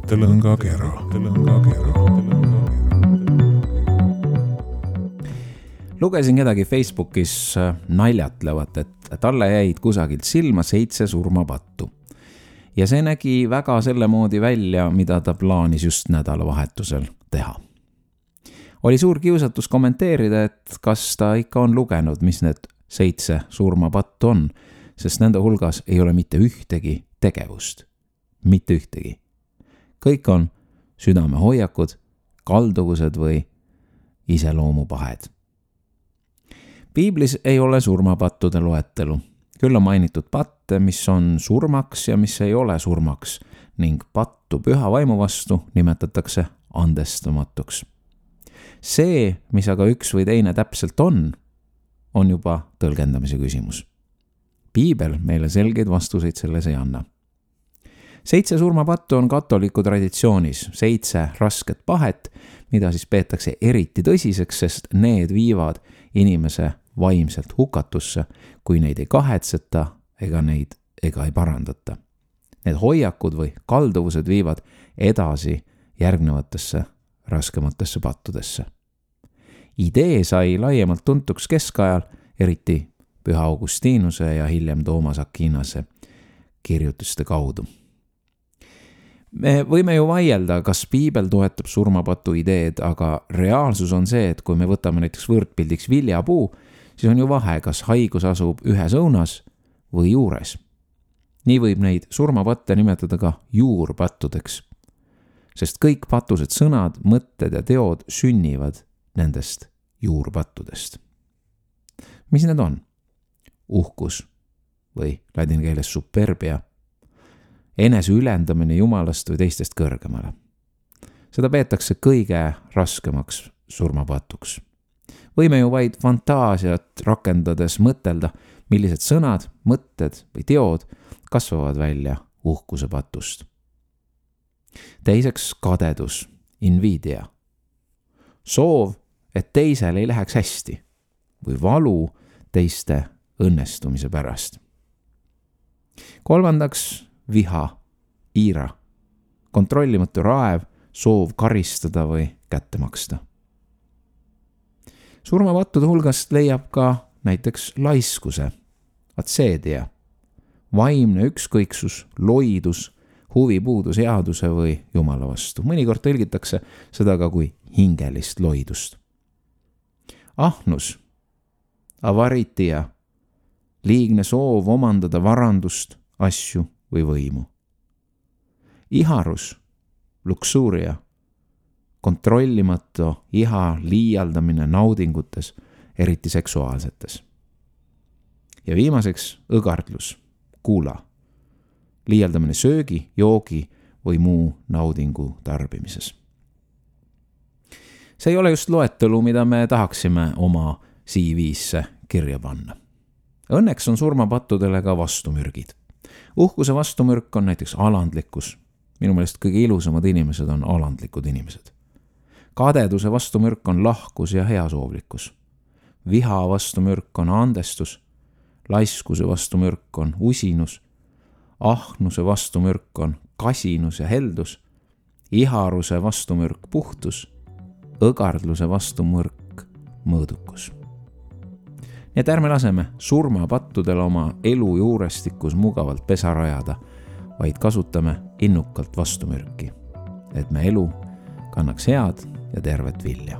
mõttelõngakera. Lugesin kedagi Facebookis naljatlevat, et talle jäid kusagilt silma 7 surmapattu. Ja see nägi väga selle moodi välja, mida ta plaanis just nädalavahetusel teha. Oli suur kiusatus kommenteerida, et kas ta ikka on lugenud, mis need 7 surmapattu on, sest nende hulgas ei ole mitte ühtegi tegevust. Mitte ühtegi. Kõik on südamehoiakud, kalduvused või iseloomupahed. Piiblis ei ole surmapattude loetelu. Küll on mainitud patte, mis on surmaks ja mis ei ole surmaks ning pattu püha vaimu vastu nimetatakse andestamatuks. See, mis aga üks või teine täpselt on juba tõlgendamise küsimus. Piibel meile selgeid vastuseid selles ei anna. 7 surmapattu on katoliku traditsioonis 7 rasket pahet, mida siis peetakse eriti tõsiseks, sest need viivad inimese vaimselt hukatusse, kui neid ei kahetseta ega ei parandata. Need hoiakud või kalduvused viivad edasi järgnevatesse raskematesse pattudesse. Idee sai laiemalt tuntuks keskajal, eriti Püha Augustinuse ja hiljem Toomas Aquinas kirjutuste kaudu. Me võime ju vaielda, kas Piibel toetab surmapatu ideed, aga reaalsus on see, et kui me võtame näiteks võrdpildiks viljapuu, siis on ju vahe, kas haigus asub ühes õunas või juures. Nii võib neid surmapatte nimetada ka juurpattudeks, sest kõik patused sõnad, mõtted ja teod sünnivad nendest juurpattudest. Mis need on? Uhkus või ladina keeles superbia, enese ülendamine jumalast või teistest kõrgemale. Seda peetakse kõige raskemaks surmapatuks. Võime ju vaid fantaasiat rakendades mõtelda, millised sõnad, mõtted või teod kasvavad välja uhkuse patust. Teiseks kadedus, invidia. Soov, et teisel ei läheks hästi või valu teiste õnnestumise pärast. Kolmandaks viha, iira, kontrollimatu raev, soov karistada või kätte maksta. Surmapattude hulgast leiab ka näiteks laiskuse, atseedia, vaimne ükskõiksus, loidus, huvipuudus headuse või jumala vastu. Mõnikord tõlgitakse seda ka kui hingelist loidust. Ahnus, avaritia, liigne soov omandada varandust, asju või võimu. Iharus, luksuuria, kontrollimatu iha liialdamine naudingutes, eriti seksuaalsetes. Ja viimaseks õgardlus, kuula, liialdamine söögi, joogi või muu naudingu tarbimises. See ei ole just loetelu, mida me tahaksime oma CV-sse kirja panna. Õnneks on surmapattudele ka vastumürgid. Uhkuse vastumürk on näiteks alandlikkus. Minu meelest kõige ilusamad inimesed on alandlikud inimesed. Kadeduse vastumürk on lahkus ja heasoovlikkus. Viha vastumürk on andestus. Laiskuse vastumürk on usinus. Ahnuse vastumürk on kasinus ja heldus. Iharuse vastumürk puhtus. Õgardluse vastumürk mõõdukus. Nii et ärme laseme surmapattudel oma elu juurestikus mugavalt pesa rajada, vaid kasutame innukalt vastumürki, et me elu kannaks head ja tervet vilja.